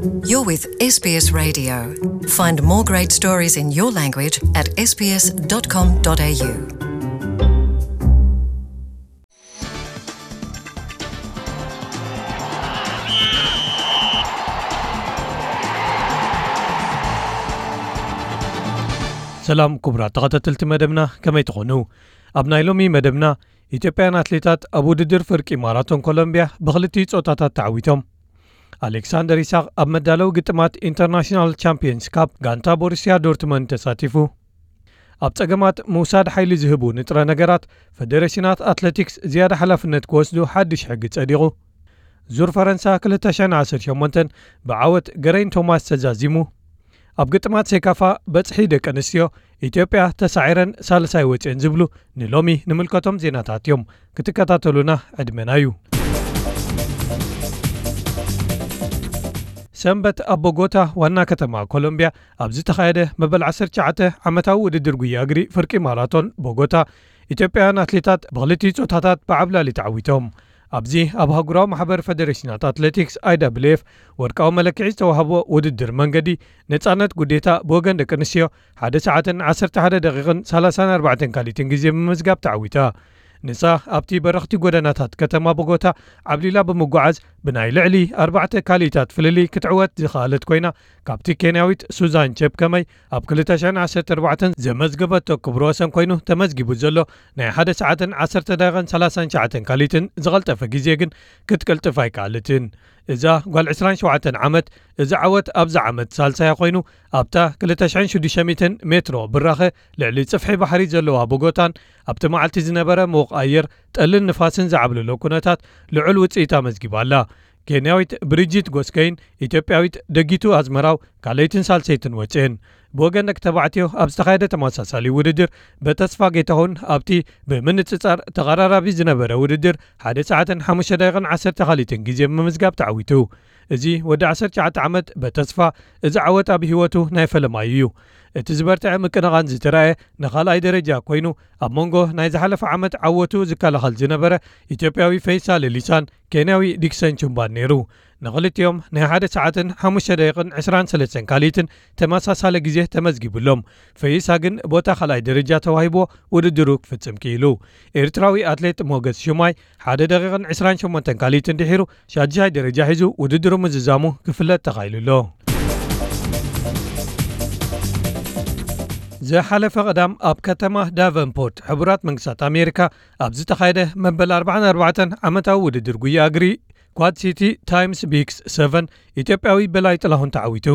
You're with S B S Radio. Find more great stories in your language at S B S dot com dot A U. ሰላም ክቡራት ተኸታተልቲ መደብና፣ ከመይ ትኾኑ? ኣብ ናይ ሎሚ መደብና፣ ኢትዮጵያውያን ኣትሌታት ኣብ ውድድር ፍርቂ ማራቶን ኮሎምቢያ ብኽልቲኡ ጾታታት ተዓዊቶም። ኣሌክሳንደር ይስሐቅ ኣብ መዳለዊ ግጥማት ኢንተርናሽናል ቻምፒየንስ ካፕ ጋንታ ቦሩስያ ዶርትመንድ ተሳቲፉ። ኣብ ጸገማት ምውሳድ ሓይሊ ዝህቡ ንጥረ ነገራት፣ ፈደሬሽናት ኣትሌቲክስ ዝያዳ ሓላፍነት ክወስዱ ሓድሽ ሕጊ ጸዲቑ። ዙር ፈረንሳ ክልተ ሽሕን ዓሰርተ ሸሞንተን ብዓወት ገረይን ቶማስ ተዛዚሙ። ኣብ ግጥማት ሴካፋ በጽሒ ደቂ ኣንስትዮ፣ ኢትዮጵያ ተሳዒረን ሳልሳይ ወጺኤን ዝብሉ ንሎሚ ንምልከቶም ዜናታት እዮም። ክትከታተሉና ዕድመና እዩ። ሰንበት ኣብ ቦጎታ ዋና ከተማ ኮሎምቢያ ኣብ ዝተኻየደ መበል ዓሰርተ ትሽዓተ ዓመታዊ ውድድር ጉያ እግሪ ፍርቂ ማራቶን ቦጎታ፣ ኢትዮጵያውያን ኣትሌታት ብኽልቲኡ ጾታታት ብዓብላሊ ተዓዊቶም። ኣብዚ ኣብ ኣህጉራዊ ማሕበር ፈደሬሽናት ኣትሌቲክስ፣ I W F፣ ወርቃዊ መለክዒ ዝተዋህቦ ውድድር መንገዲ ነጻነት ጉዴታ ብወገን ደቂ ኣንስትዮ ሓደ ሰዓትን ዓሰርተ ሓደ ደቂቕን ሰላሳን ኣርባዕተን ካሊትን ግዜ ብምምዝጋብ ተዓዊታ። ንሳ ኣብቲ በረኽቲ ጎደናታት ከተማ ቦጎታ ዓብሊላ ብምጓዓዝ ብናይ ልዕሊ ኣርባዕተ ካሊታት ፍልልይ ክትዕወት ዝኸኣለት ኮይና፣ ካብቲ ኬንያዊት ሱዛን ቸፕከመይ ኣብ ክልተ ሽሕን ዓሰርተ ኣርባዕተን ዘመዝገበቶ ክብረ ወሰን ኮይኑ ተመዝጊቡ ዘሎ ናይ ሓደ ሰዓትን ዓሰርተ ደቂቕን ሰላሳን ትሽዓተን ካሊትን ዝቐልጠፈ ግዜ ግን ክትቅልጥፍ ኣይከኣለትን። እዛ ጓል ዕስራን ሸውዓተን ዓመት፣ እዚ ዓወት ኣብዛ ዓመት ሳልሳያ ኮይኑ፣ ኣብታ ክልተ ሽሕን ሽዱሽተ ሚእትን ሜትሮ ብራኸ ልዕሊ ጽፍሒ ባሕሪ ዘለዋ ቦጎታን ኣብቲ መዓልቲ ዝነበረ ምዉቕ ኣየር፣ ጠልን ንፋስን ዝዓብለሎ ኩነታት ልዑል ውጽኢት ኣመዝጊባ ኣላ። ኬንያዊት ብሪጂት ጎስከይን ኢትዮጵያዊት ደጊቱ ኣዝመራው ካልኣይትን ሳልሰይትን ወጽኤን። ብወገን ደቂ ተባዕትዮ ኣብ ዝተኻየደ ተመሳሳሊ ውድድር፣ በተስፋ ጌታሁን ኣብቲ ብምንጽጻር ተቐራራቢ ዝነበረ ውድድር ሓደ ሰዓትን ሓሙሽተ ደቂቕን ዓሰርተ ካሊትን ግዜ ብምምዝጋብ ተዓዊቱ። እዚ ወዲ ዓሰርተ ትሽዓተ ዓመት በተስፋ፣ እዚ ዓወት ኣብ ህይወቱ ናይ ፈለማዩ እዩ። እቲ ዝበርትዐ ምቅንቓን ዝተራእየ ንኻልኣይ ደረጃ ኮይኑ፣ ኣብ መንጎ ናይ ዝሓለፈ ዓመት ዓወቱ ዝከላኸል ዝነበረ ኢትዮጵያዊ ፈይሳ ሌሊሳን ኬንያዊ ዲክሰን ቹምባን ነይሩ። ንኽልቲኦም ናይ ሓደ ሰዓትን ሓሙሽተ ደቂቕን ዕስራን ሰለስተን ካሊትን ተመሳሳሊ ግዜ ተመዝጊቡሎም። ፈይሳ ግን ቦታ ካልኣይ ደረጃ ተዋሂብዎ ውድድሩ ክፍጽም ክኢሉ። ኤርትራዊ ኣትሌት ሞገስ ሽማይ ሓደ ደቂቕን ዕስራን ሸሞንተን ካሊትን ድሒሩ ሻድሻይ ደረጃ ሒዙ ውድድሩ ምዝዛሙ ክፍለጥ ተኻኢሉ ኣሎ። ዝሓለፈ ቀዳም ኣብ ከተማ ዳቨንፖርት ሕቡራት መንግስታት ኣሜሪካ ኣብ ዝተኻየደ መበል ኣርባዓን ኣርባዕተን ዓመታዊ ውድድር ጉያ እግሪ ኳድ ሲቲ ታይምስ ቢክስ ሰቨን ኢትዮጵያዊ በላይ ጥላሁን ተዓዊቱ።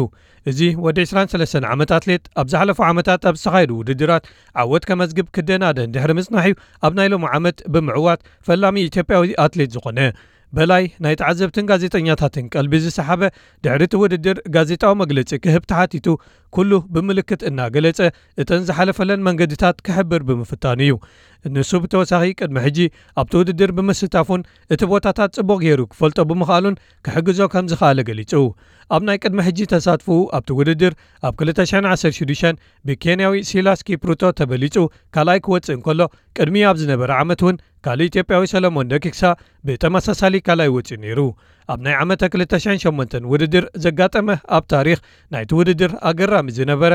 እዚ ወዲ ዕስራን ሰለስተን ዓመት ኣትሌት ኣብ ዝሓለፉ ዓመታት ኣብ ዝተኻየዱ ውድድራት ዓወት ከመዝግብ ክደናደን ድሕሪ ምጽናሕ እዩ ኣብ ናይ ሎሚ ዓመት ብምዕዋት ፈላሚ ኢትዮጵያዊ ኣትሌት ዝኾነ። በላይ ናይ ተዓዘብትን ጋዜጠኛታትን ቀልቢ ዝሰሓበ፣ ድሕሪ እቲ ውድድር ጋዜጣዊ መግለጺ ክህብ ተሓቲቱ፣ ኩሉ ብምልክት እናገለጸ እተን ዝሓለፈለን መንገድታት ክሕብር ብምፍታኑ እዩ። ንሱ ብተወሳኺ ቅድሚ ሕጂ ኣብቲ ውድድር ብምስታፉን እቲ ቦታታት ጽቡቕ ገይሩ ክፈልጦ ብምኽኣሉን ክሕግዞ ከም ዝኸኣለ ገሊጹ። ኣብ ናይ ቅድሚ ሕጂ ተሳትፎኡ ኣብቲ ውድድር ኣብ ክልተ ሽሕን ዓሰርተ ሽዱሽተን ብኬንያዊ ሲላስ ኪፕሩቶ ተበሊጹ ካልኣይ ክወጽእ እንከሎ፣ ቅድሚኡ ኣብ ዝነበረ ዓመት እውን ካልእ ኢትዮጵያዊ ሰለሞን ደኪክሳ ብተመሳሳሊ ካልኣይ ወጺኡ ነይሩ። ኣብ ናይ ዓመተ ክልተ ሽሕን ሸሞንተን ውድድር ዘጋጠመ ኣብ ታሪኽ ናይቲ ውድድር ኣገራሚ ዝነበረ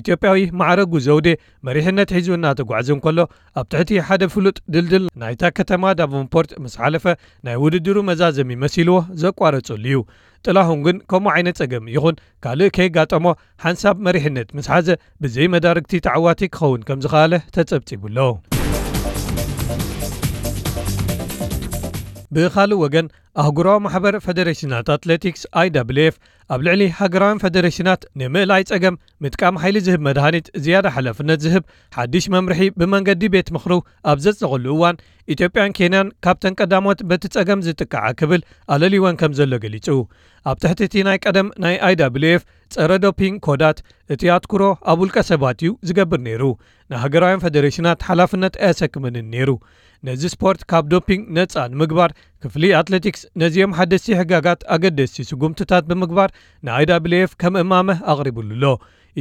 ኢትዮጵያዊ ማዕረጉ ዘውዴ መሪሕነት ሒዙ እናተጓዕዘ እንከሎ፣ ኣብ ትሕቲ ሓደ ፍሉጥ ድልድል ናይታ ከተማ ዳቨንፖርት ምስ ሓለፈ ናይ ውድድሩ መዛዘሚ መሲልዎ ዘቋረጸሉ እዩ። ጥላሁን ግን ከምኡ ዓይነት ጸገም ይኹን ካልእ ከየጋጠሞ ሓንሳብ መሪሕነት ምስ ሓዘ ብዘይ መዳርግቲ ተዓዋቲ ክኸውን ከም ዝኸኣለ ተጸብጺቡ ኣሎ። ብኻልእ ወገን ኣህጉራዊ ማሕበር ፈደሬሽናት ኣትሌቲክስ I W F ኣብ ልዕሊ ሃገራውያን ፈደሬሽናት ንምእላይ ጸገም ምጥቃም ሓይሊ ዝህብ መድሃኒት ዝያዳ ሓላፍነት ዝህብ ሓድሽ መምርሒ ብመንገዲ ቤት ምኽሩ ኣብ ዘጽደቐሉ እዋን ኢትዮጵያን ኬንያን ካብተን ቀዳሞት በቲ ጸገም ዝጥቃዓ ክብል ኣለሊወን ከም ዘሎ ገሊጹ። ኣብ ትሕቲ እቲ ናይ ቀደም ናይ I W F ጸረ ዶፒንግ ኮዳት እቲ ኣትኩሮ ኣብ ውልቀ ሰባት እዩ ዝገብር ነይሩ። ንሃገራውያን ፈደሬሽናት ሓላፍነት ኣየሰክመንን ነይሩ። ነዚ ስፖርት ካብ ዶፒንግ ነጻ ንምግባር ክፍሊ ኣትሌቲክስ ነዚኦም ሓደስቲ ሕጋጋት ኣገደስቲ ስጉምትታት ብምግባር ን I W F ከም እማመ ኣቕሪቡሉ ኣሎ።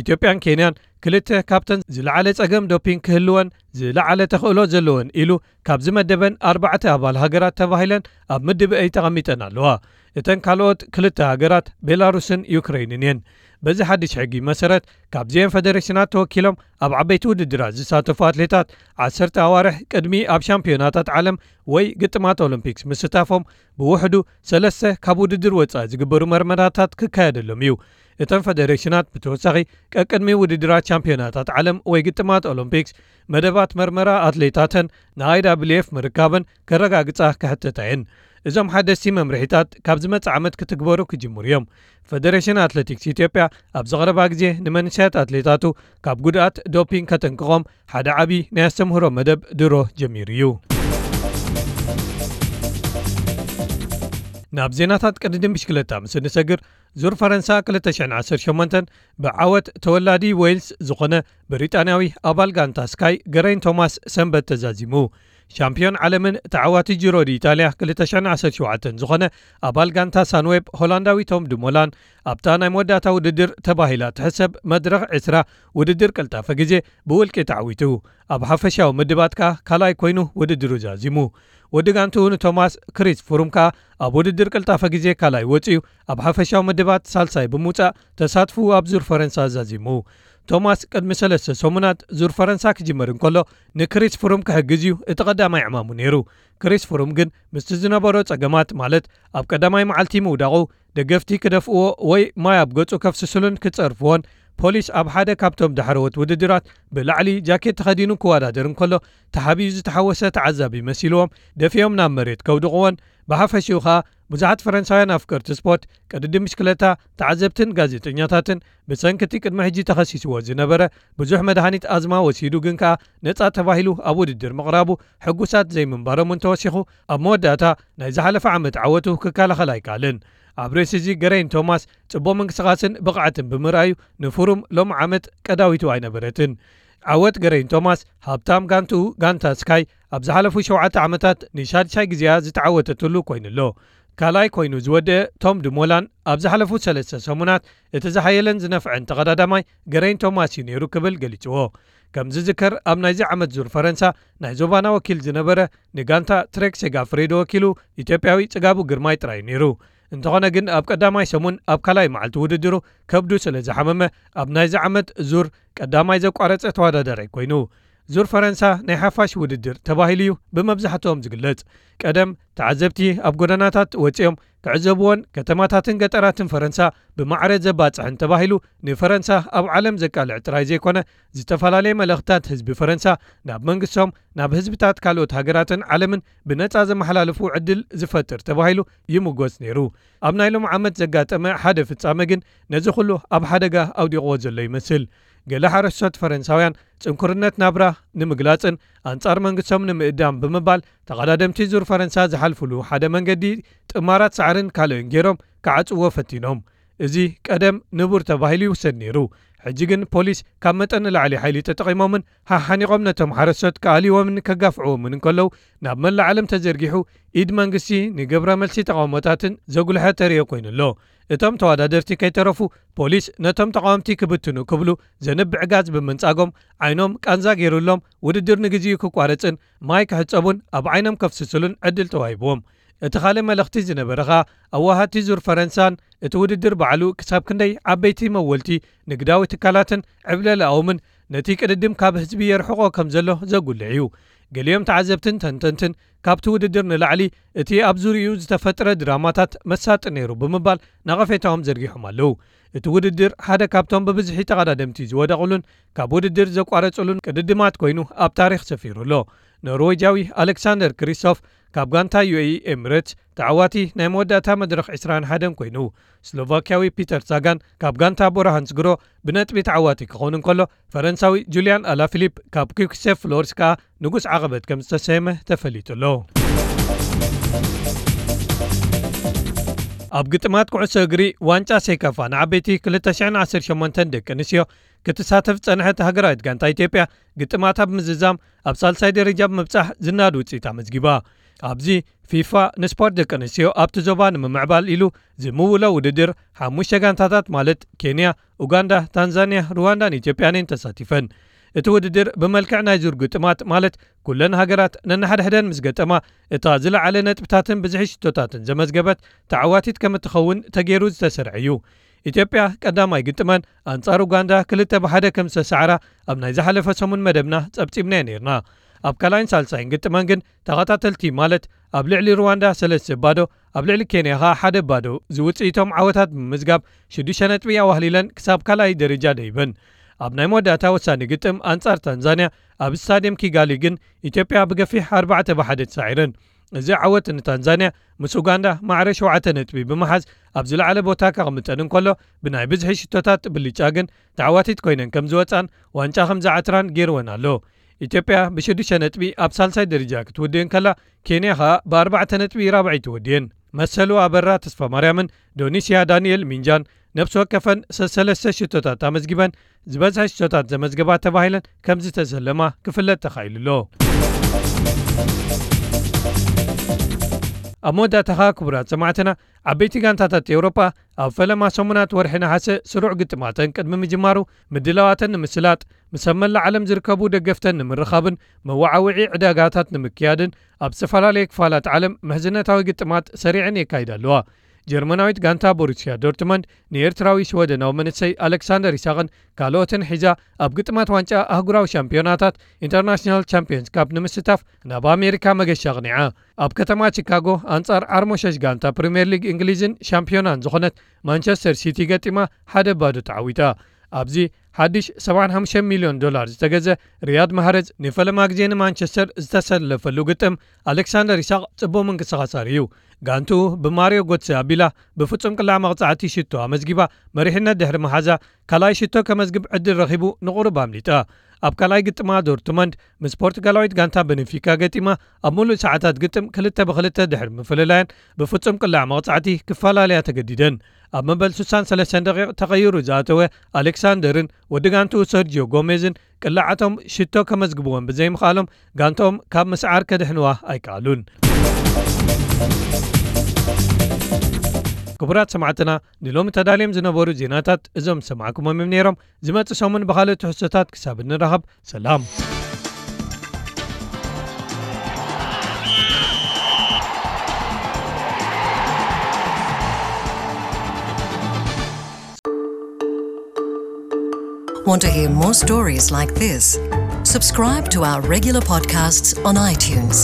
ኢትዮጵያን ኬንያን ክልተ ካብተን ዝለዓለ ጸገም ዶፒንግ ክህልወን ዝለዓለ ተኽእሎ ዘለወን ኢሉ ካብ ዝመደበን ኣርባዕተ ኣባል ሃገራት ተባሂለን ኣብ ምድብ A ተቐሚጠን ኣለዋ። እተን ካልኦት ክልተ ሃገራት ቤላሩስን ዩክሬንን እየን። በዚ ሓድሽ ሕጊ መሰረት፣ ካብዚአን ፈደሬሽናት ተወኪሎም ኣብ ዓበይቲ ውድድራት ዝሳተፉ ኣትሌታት፣ ዓሰርተ ኣዋርሕ ቅድሚ ኣብ ሻምፒዮናታት ዓለም ወይ ግጥማት ኦሎምፒክስ ምስታፎም፣ ብውሕዱ ሰለስተ ካብ ውድድር ወጻኢ ዝግበሩ መርመራታት ክካየደሎም እዩ። እተን ፈደሬሽናት ብተወሳኺ፣ ቀቅድሚ ውድድራት ሻምፒዮናታት ዓለም ወይ ግጥማት ኦሎምፒክስ፣ መደባት መርመራ ኣትሌታተን ንኣይ ዳብልዩ ኤፍ ምርካበን ከረጋግጻ ክሕተታ እየን። እዞም ሓደስቲ መምርሒታት ካብ ዝመጽእ ዓመት ክትግበሩ ክጅምሩ እዮም። ፈደሬሽን ኣትሌቲክስ ኢትዮጵያ ኣብ ዝቐረባ ግዜ ንመንእሰያት ኣትሌታቱ ካብ ጉድኣት ዶፒንግ ከተንቅቖም ሓደ ዓቢ ናይ ኣስተምህሮ መደብ ድሮ ጀሚሩ እዩ። ናብ ዜናታት ቅድድም ብሽክለታ ምስ እንሰግር፣ ዙር ፈረንሳ ክልተ ሽሕን ዓሰርተ ሸሞንተን ብዓወት ተወላዲ ዌልስ ዝኾነ ብሪጣንያዊ ኣባል ጋንታ ስካይ ገረይን ቶማስ ሰንበት ተዛዚሙ። ሻምፒዮን ዓለምን ተዓዋቲ ጂሮ ዲ ኢጣልያ ክልተ ሽሕን ዓሰርተ ሸውዓተን ዝኾነ ኣባል ጋንታ ሳንዌብ ሆላንዳዊ ቶም ድሞላን ኣብታ ናይ መወዳእታ ውድድር ተባሂላ ትሕሰብ መድረኽ ዕስራ ውድድር ቅልጣፈ ግዜ ብውልቂ ተዓዊቱ። ኣብ ሓፈሻዊ ምድባት ከኣ ካልኣይ ኮይኑ ውድድሩ ዛዚሙ። ወዲ ጋንትኡ ንቶማስ ክሪስ ፍሩም ከኣ ኣብ ውድድር ቅልጣፈ ግዜ ካልኣይ ወጺኡ ኣብ ሓፈሻዊ ምድባት ሳልሳይ ብምውጻእ ተሳትፍኡ ኣብ ዙር ፈረንሳ ዛዚሙ። ቶማስ ቅድሚ ሰለስተ ሰሙናት ዙር ፈረንሳ ክጅምር እንከሎ ንክሪስ ፍሩም ክሕግዝ እዩ እቲ ቀዳማይ ዕማሙ ነይሩ። ክሪስ ፍሩም ግን ምስቲ ዝነበሮ ጸገማት፣ ማለት ኣብ ቀዳማይ መዓልቲ ምውዳቑ፣ ደገፍቲ ክደፍእዎ ወይ ማይ ኣብ ገጹ ከፍስስሉን ክጸርፍዎን፣ ፖሊስ ኣብ ሓደ ካብቶም ዳሕረዎት ውድድራት ብላዕሊ ጃኬት ተኸዲኑ ክወዳደር እንከሎ ተሓቢኡ ዝተሓወሰ ተዓዛቢ መሲልዎም ደፊኦም ናብ መሬት ከውድቕዎን፣ ብሓፈሽኡ ኸኣ ብዙሓት ፈረንሳውያን ኣፍቀርቲ ስፖርት፣ ቅድድም ብሽክለታ፣ ተዓዘብትን ጋዜጠኛታትን ብሰንኪ እቲ ቅድሚ ሕጂ ተኸሲስዎ ዝነበረ ብዙሕ መድሃኒት ኣዝማ ወሲዱ ግን ከኣ ነጻ ተባሂሉ ኣብ ውድድር ምቕራቡ ሕጉሳት ዘይምንባሮም እውን ተወሲኹ፣ ኣብ መወዳእታ ናይ ዝሓለፈ ዓመት ዓወቱ ክከላኸል ኣይከኣለን። ኣብ ርእሲ እዚ ገረይን ቶማስ ጽቡቕ ምንቅስቓስን ብቕዓትን ብምርኣዩ ንፍሩም ሎም ዓመት ቀዳዊቱ ኣይነበረትን። ዓወት ገረይን ቶማስ ሃብታም ጋንትኡ ጋንታ ስካይ ኣብ ዝሓለፉ ሸውዓተ ዓመታት ንሻድሻይ ግዜኣ ዝተዓወተትሉ ኮይኑ'ሎ። ካልኣይ ኮይኑ ዝወደአ ቶም ድሞላን ኣብ ዝሓለፉ ሰለስተ ሰሙናት እቲ ዝሓየለን ዝነፍዐን ተቐዳዳማይ ገረይን ቶማስ እዩ ነይሩ ክብል ገሊጽዎ። ከም ዝዝከር ኣብ ናይዚ ዓመት ዙር ፈረንሳ ናይ ዞባና ወኪል ዝነበረ ንጋንታ ትሬክ ሴጋፍሬዶ ወኪሉ ኢትዮጵያዊ ጽጋቡ ግርማይ ጥራይ እዩ ነይሩ። እንተኾነ ግን ኣብ ቀዳማይ ሰሙን ኣብ ካልኣይ መዓልቲ ውድድሩ ከብዱ ስለ ዝሓመመ ኣብ ናይዚ ዓመት ዙር ቀዳማይ ዘቋረጸ ተወዳዳራይ ኮይኑ። ዙር ፈረንሳ ናይ ሓፋሽ ውድድር ተባሂሉ እዩ ብመብዛሕትኦም ዝግለጽ። ቀደም ተዓዘብቲ ኣብ ጎደናታት ወጺኦም ክዕዘብዎን ከተማታትን ገጠራትን ፈረንሳ ብማዕረ ዘባጽሕን ተባሂሉ ንፈረንሳ ኣብ ዓለም ዘቃልዕ ጥራይ ዘይኮነ፣ ዝተፈላለየ መልእኽትታት ህዝቢ ፈረንሳ ናብ መንግስቶም፣ ናብ ህዝብታት ካልኦት ሃገራትን ዓለምን ብነጻ ዘመሓላልፉ ዕድል ዝፈጥር ተባሂሉ ይምጎስ ነይሩ። ኣብ ናይ ሎም ዓመት ዘጋጠመ ሓደ ፍጻመ ግን ነዚ ኩሉ ኣብ ሓደጋ ኣውዲቕዎ ዘሎ ይመስል። ገለ ሓረስቶት ፈረንሳውያን ጽንኩርነት ናብራ ንምግላጽን ኣንጻር መንግስቶም ንምእዳም ብምባል ተቐዳደምቲ ዙር ፈረንሳ ዝሓልፉሉ ሓደ መንገዲ ጥማራት ሳዕርን ካልእን ገይሮም ክዓጽዎ ፈቲኖም። እዚ ቀደም ንቡር ተባሂሉ ይውሰድ ነይሩ። ሕጂ ግን ፖሊስ ካብ መጠን ንላዕሊ ሓይሊ ተጠቒሞምን ሓሓኒቖም ነቶም ሓረስቶት ክኣልይዎምን ከጋፍዕዎምን እንከለዉ ናብ መላእ ዓለም ተዘርጊሑ ኢድ መንግስቲ ንግብረ መልሲ ተቓውሞታትን ዘጉልሐ ተርእዮ ኮይኑ ኣሎ። እቶም ተወዳደርቲ ከይተረፉ ፖሊስ ነቶም ተቓወምቲ ክብትኑ ክብሉ ዘንብዕ ጋዝ ብምንጻጎም ዓይኖም ቃንዛ ገይሩሎም ውድድር ንግዚኡ ክቋረጽን ማይ ክሕጸቡን ኣብ ዓይኖም ከፍስስሉን ዕድል ተዋሂብዎም። እቲ ካልእ መልእኽቲ ዝነበረ ኸኣ ኣዋሃድቲ ዙር ፈረንሳን እቲ ውድድር ባዕሉ ክሳብ ክንደይ ዓበይቲ መወልቲ ንግዳዊ ትካላትን ዕብለላኦምን ነቲ ቅድድም ካብ ህዝቢ የርሕቖ ከም ዘሎ ዘጉልሕ እዩ። ገሊኦም ተዓዘብትን ተንተንትን ካብቲ ውድድር ንላዕሊ እቲ ኣብ ዙርይኡ ዝተፈጥረ ድራማታት መሳጢ ነይሩ ብምባል ነቐፌታኦም ዘርጊሖም ኣለዉ። እቲ ውድድር ሓደ ካብቶም ብብዝሒ ተቐዳደምቲ ዝወደቑሉን ካብ ውድድር ዘቋረጹሉን ቅድድማት ኮይኑ ኣብ ታሪኽ ሰፊሩ ኣሎ። ኖርዌጃዊ ኣሌክሳንደር ክሪስቶፍ ካብ ጋንታ ዩ ኤ ኢ ኤሚሬትስ ተዓዋቲ ናይ መወዳእታ መድረኽ ዕስራን ሓደን ኮይኑ፣ ስሎቫክያዊ ፒተር ሳጋን ካብ ጋንታ ቦራ ሃንስግሮ ብነጥቢ ተዓዋቲ ክኸውን እንከሎ፣ ፈረንሳዊ ጁልያን ኣላፊሊፕ ካብ ኪክሴፍ ፍሎርስ ከኣ ንጉስ ዓቐበት ከም ዝተሰየመ ተፈሊጡ ኣሎ። ኣብ ግጥማት ኩዕሶ እግሪ ዋንጫ ሴካፋ ንዓበይቲ ክልተ ሽሕን ዓሰርተ ሸሞንተን ደቂ ኣንስትዮ ክትሳተፍ ዝጸንሐት ሃገራዊት ጋንታ ኢትዮጵያ፣ ግጥማታ ብምዝዛም ኣብ ሳልሳይ ደረጃ ብምብጻሕ ዝናድ ውጽኢት ኣመዝጊባ። ኣብዚ ፊፋ ንስፖርት ደቂ ኣንስትዮ ኣብቲ ዞባ ንምምዕባል ኢሉ ዝምውሎ ውድድር፣ ሓሙሽተ ጋንታታት ማለት ኬንያ፣ ኡጋንዳ፣ ታንዛንያ፣ ሩዋንዳን ኢትዮጵያን እየን ተሳቲፈን። እቲ ውድድር ብመልክዕ ናይ ዙር ግጥማት፣ ማለት ኩለን ሃገራት ነንሓድሕደን ምስ ገጠማ፣ እታ ዝለዓለ ነጥብታትን ብዝሒ ሽቶታትን ዘመዝገበት ተዓዋቲት ከም እትኸውን ተገይሩ ዝተሰርዐ እዩ። ኢትዮጵያ ቀዳማይ ግጥመን ኣንጻር ኡጋንዳ ክልተ ብሓደ ከም ዝተሰዓራ ኣብ ናይ ዝሓለፈ ሰሙን መደብና ጸብጺብናዮ ነይርና። ኣብ ካልኣይን ሳልሳይን ግጥመን ግን ተኸታተልቲ፣ ማለት ኣብ ልዕሊ ሩዋንዳ ሰለስተ ባዶ፣ ኣብ ልዕሊ ኬንያ ኸኣ ሓደ ባዶ ዝውጽኢቶም ዓወታት ብምምዝጋብ ሽዱሽተ ነጥቢ ኣዋህሊለን ክሳብ ካልኣይ ደረጃ ደይበን። ኣብ ናይ መወዳእታ ወሳኒ ግጥም ኣንጻር ታንዛንያ ኣብ ስታድየም ኪጋሊ ግን ኢትዮጵያ ብገፊሕ ኣርባዕተ ብሓደ ተሳዒረን። እዚ ዓወት ንታንዛንያ ምስ ኡጋንዳ ማዕረ ሸውዓተ ነጥቢ ብምሓዝ ኣብ ዝለዓለ ቦታ ከቕምጠን እንከሎ፣ ብናይ ብዝሒ ሽቶታት ብልጫ ግን ተዓዋቲት ኮይነን ከም ዝወጻን ዋንጫ ከም ዝዓትራን ገይርወን ኣሎ። ኢትዮጵያ ብሽዱሽተ ነጥቢ ኣብ ሳልሳይ ደረጃ ክትውድእ እንከላ፣ ኬንያ ኸኣ ብኣርባዕተ ነጥቢ ራብዐይቲ ወድየን። መሰሉ ኣበራ ተስፋ ማርያምን ዶኒስያ ዳንኤል ሚንጃን ነፍሲ ወከፈን ሰሰለስተ ሽቶታት ኣመዝጊበን፣ ዝበዝሐ ሽቶታት ዘመዝገባ ተባሂለን ከም ዝተሰለማ ክፍለጥ ተኻኢሉ ኣሎ። ኣብ መወዳእታ ኸኣ ክቡራት ሰማዕትና፣ ዓበይቲ ጋንታታት ኤውሮጳ ኣብ ፈለማ ሰሙናት ወርሒ ነሓሰ ስሩዕ ግጥማተን ቅድሚ ምጅማሩ ምድላዋተን ንምስላጥ፣ ምስ ኣብ መላእ ዓለም ዝርከቡ ደገፍተን ንምርኻብን መወዓውዒ ዕዳጋታት ንምክያድን ኣብ ዝተፈላለየ ክፋላት ዓለም ምሕዝነታዊ ግጥማት ሰሪዐን የካይዳ ኣለዋ። ጀርመናዊት ጋንታ ቦሩስያ ዶርትመንድ ንኤርትራዊ ሽወደናዊ መንእሰይ ኣሌክሳንደር ይስሃቅን ካልኦትን ሒዛ ኣብ ግጥማት ዋንጫ ኣህጉራዊ ሻምፒዮናታት፣ ኢንተርናሽናል ቻምፒዮንስ ካፕ፣ ንምስታፍ ናብ ኣሜሪካ መገሻ ኣቕኒዓ። ኣብ ከተማ ቺካጎ ኣንጻር ዓርሞሸሽ ጋንታ ፕሪምየር ሊግ እንግሊዝን ሻምፒዮናን ዝኾነት ማንቸስተር ሲቲ ገጢማ ሓደ ባዶ ተዓዊታ። ኣብዚ ሓድሽ ሰብዓን ሓሙሽተ ሚልዮን ዶላር ዝተገዘ ሪያድ ማህረዝ ንፈለማ ግዜ ንማንቸስተር ዝተሰለፈሉ ግጥም፣ ኣሌክሳንደር ይስሃቅ ጽቡቕ ምንቅስቓስ ኣርእዩ። ጋንትኡ ብማሪዮ ጎትሰ ኣቢላ ብፍጹም ቅላዕ መቕጻዕቲ ሽቶ ኣመዝጊባ መሪሕነት ድሕሪ ምሓዛ፣ ካልኣይ ሽቶ ከመዝግብ ዕድል ረኺቡ ንቑሩብ ኣምሊጣ። ኣብ ካልኣይ ግጥማ ዶርትመንድ ምስ ፖርቱጋላዊት ጋንታ በንፊካ ገጢማ፣ ኣብ ሙሉእ ሰዓታት ግጥም ክልተ ብክልተ ድሕሪ ምፍልላየን ብፍጹም ቅላዕ መቕጻዕቲ ክፈላለያ ተገዲደን። ኣብ መበል ስሳን ሰለስተን ደቂቕ ተቐይሩ ዝኣተወ ኣሌክሳንደርን ወዲ ጋንትኡ ሰርጂዮ ጎሜዝን ቅላዓቶም ሽቶ ከመዝግብወን ብዘይምኽኣሎም፣ ጋንትኦም ካብ ምስዓር ከድሕንዋ ኣይከኣሉን። ክቡራት ሰማዕትና፣ ንሎሚ ተዳልዮም ዝነበሩ ዜናታት እዞም ዝሰማዕኩሞም እዮም ነይሮም። ዝመጽእ ሰሙን ብኻልእ ትሕዝቶታት ክሳብ እንራኸብ፣ ሰላም። Want to hear more stories like this? Subscribe to our regular podcasts on iTunes.